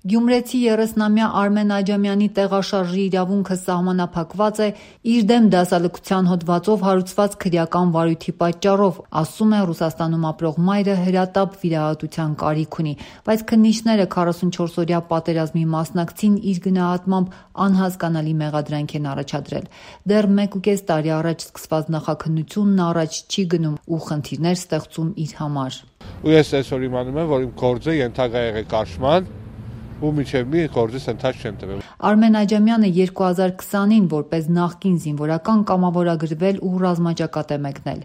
Գյումրեցի 30-ամյա Արմեն Աջամյանի տեղաշարժի իրավունքը սահմանափակված է իր դեմ դասալքության հոդվածով հարուցված քրեական վարույթի պատճառով, ասում է Ռուսաստանում ապրող մայրը հրատապ վիրահատության կարիք ունի, բայց քննիչները 44-օրյա պատերազմի մասնակցին իր գնահատմամբ անհասկանալի մեղադրանք են առաջադրել։ Դեռ 1.5 տարի առաջ սկսված նախաքննությունն առաջ չի գնում ու խնդիրներ ստեղծում իր համար։ Ու ես այսօր իմանում եմ, որ իմ գործը ենթակա եղել կաշման ու մինչև մի գործից ընթաց չեմ տվել։ Արմեն Աջամյանը 2020-ին որպես նախկին զինվորական կամավորագրվել ու ռազմաճակատ է մեկնել։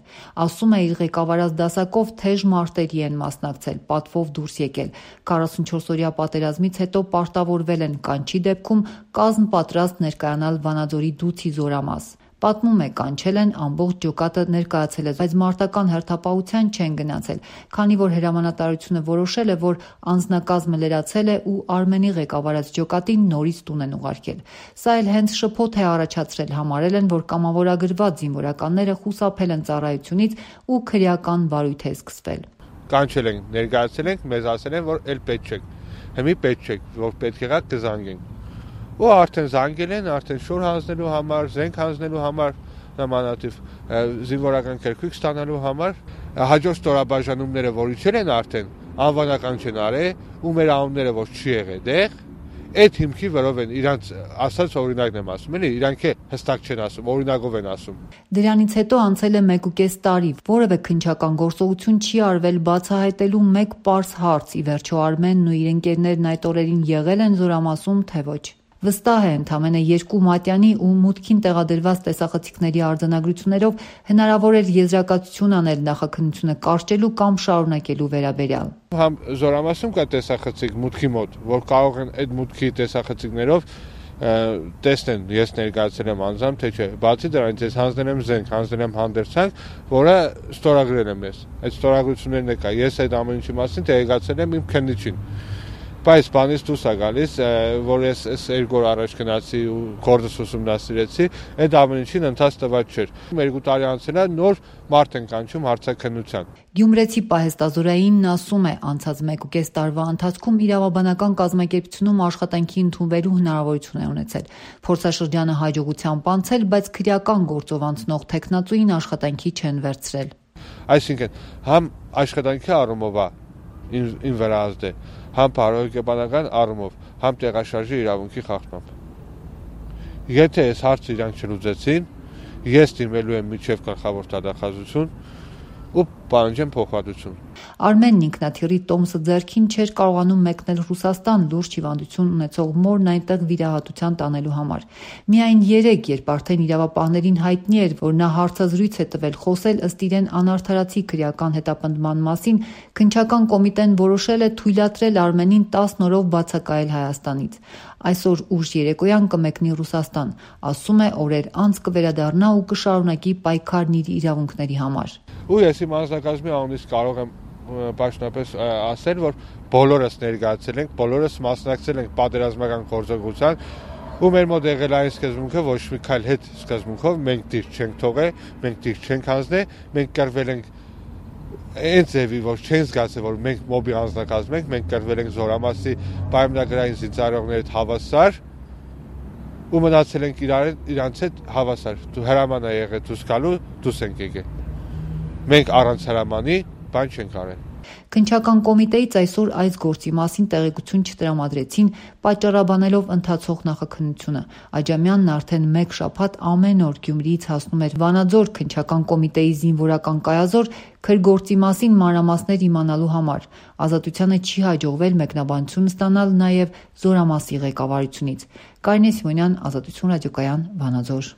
Ասում է, իր ղեկավարած դասակով թեժ մարտերի են մասնակցել, պատվով դուրս եկել։ 44-օրյա պատերազմից հետո պարտավորվել են, կանչի դեպքում կազմ պատրաստ ներկայանալ Վանաձորի Դուցի զորամաս։ Պատմում է, կանչել են, ամբողջ ջոկատը ներկայացել է, բայց մարտական հերթապահության չեն գնացել, քանի որ հրամանատարությունը որոշել է, որ անձնակազմը լրացել է ու Արմենի ղեկավարած ջոկատին նորից տուն են ուղարկել։ Սա էլ հենց շփոթ է առաջացրել, համարել են, որ կամավորագրված զինվորականները խուսափել են ծառայությունից ու քրեական վարույթ է սկսվել։ Կանչել ենք, ներկայացել ենք, մեզ ասել են, որ էլ պետք չեք, հիմի պետք չեք, որ պետք եղած կզանգենք։ Ու արդեն զանգել են, արդեն շոր հանձնելու համար, զենք հանձնելու համար, նմանատիվ զինվորական քերքույկ ստանալու համար, հաջորդ ստորաբաժանումները, որ իջել են արդեն, անվանական չեն արել, ու մեր անունները որ չի եղել դեղ, այդ հիմքի վրով են իրանց ասած օրինակն եմ ասում, էլի, իրանք է հստակ չեն ասում, օրինակով են ասում։ Դրանից հետո անցել է 1.5 տարի, որևէ քննչական գործողություն չի արվել բացահայտելու մեկ պարզ հարց՝ ի վերջո Արմենն ու իր ընկերներն այդ օրերին եղել են զորամասում, թե ոչ։ Վստահ է, ընդամենը 2 մատյանի ու մուտքին տեղադրված տեսախցիկների արձանագրություններով հնարավոր էր եզրակացություն անել նախաքննությունը կարճելու կամ շարունակելու վերաբերյալ։ Համ զորամասում կա տեսախցիկ մուտքի մոտ, որ կարող են այդ մուտքի տեսախցիկներով տեսնեն, ես ներկայացել եմ անձամբ, թե չէ։ Բացի դրանից ես հանձնել եմ զենք, հանձնել եմ հանդերձանք, որը ստորագրել եմ ես։ Այդ ստորագրություններն է կա։ Ես այդ ամեն ինչի մասին տեղեկացել եմ իմ քննիչին։ Բայց բանից դուրս է գալիս, որ ես 2 օր առաջ գնացի ու գործս ուսումնասիրեցի, այդ ամեն ինչին ընթաց տված չէր։ 2 տարի անցել է, նոր մարդ են կանչում հարցաքննության։ Գյումրեցի պահեստազորայինն ասում է, անցած 1.5 տարվա ընթացքում իրավաբանական կազմակերպությունում աշխատանքի ընդունվելու հնարավորություն է ունեցել։ Փորձաշրջանը հաջողությամբ անցել, բայց քրեական գործով անցնող թեկնածուին աշխատանքի չեն վերցրել։ Այսինքն, համ աշխատանքի առումով ին վրա ազդե, համ բարոյական առումով, համ տեղաշարժի իրավունքի խախտմամբ։ Եթե այս հարցը իրանք չլուծեցին, ես դիմելու եմ միջև գլխավոր դատախազություն ու պահանջեմ փոխհատուցում։ Արմենն ինքնաթիռի տոմսը ձեռքին չէր կարողանում մեկնել Ռուսաստան լուրջ հիվանդություն ունեցող մորն այնտեղ վիրահատության տանելու համար։ Միայն 3, երբ արդեն իրավապահներին հայտնի էր, որ նա հարցազրույց է տվել, խոսել ըստ իրեն անարդարացի քրեական հետապնդման մասին, քննչական կոմիտեն որոշել է թույլատրել Արմենին 10 օրով բացակայել Հայաստանից։ Այսօր ուշ երեկոյան կմեկնի Ռուսաստան, ասում է, օրեր անց կվերադառնա ու կշարունակի պայքարն իր իրավունքների համար։ Ու ես իմ անձնակազմի անունից կարող եմ պաշտոնապես ասել, որ բոլորս ներկայացել ենք, բոլորս մասնակցել ենք պատերազմական գործողության, ու մեր մոտ եղել այն սկզբունքը, ոչ մի քայլ հետ սկզբունքով մենք դիր չենք թողել, մենք դիր չենք հանձնել, մենք կրվել ենք այն ձևի, որ չեն զգացել, որ մենք մոբի անձնակազմ ենք, մենք կրվել ենք զորամասի պայմանագրային զինծառայողների հետ հավասար ու մնացել ենք իրանց հետ հավասար։ Դու հրաման է եղել դուրս գալու, դուրս ենք եկել։ Մենք առանց հրամանի բան չենք արել։ Քննչական կոմիտեից այսօր այս գործի մասին տեղեկություն չտրամադրեցին, պատճառաբանելով ընթացող նախաքննությունը։ Աջամյանն արդեն 1 շաբաթ ամեն օր Գյումրիից հասնում էր Վանաձոր քննչական կոմիտեի զինվորական կայազոր քրգործի մասին մանրամասներ իմանալու համար։ Ազատությանը չի հաջողվել մեկնաբանություն ստանալ նաև զորամասի ղեկավարությունից։ Կարինե Սիմոնյան, Ազատություն ռադիոկայան, Վանաձոր։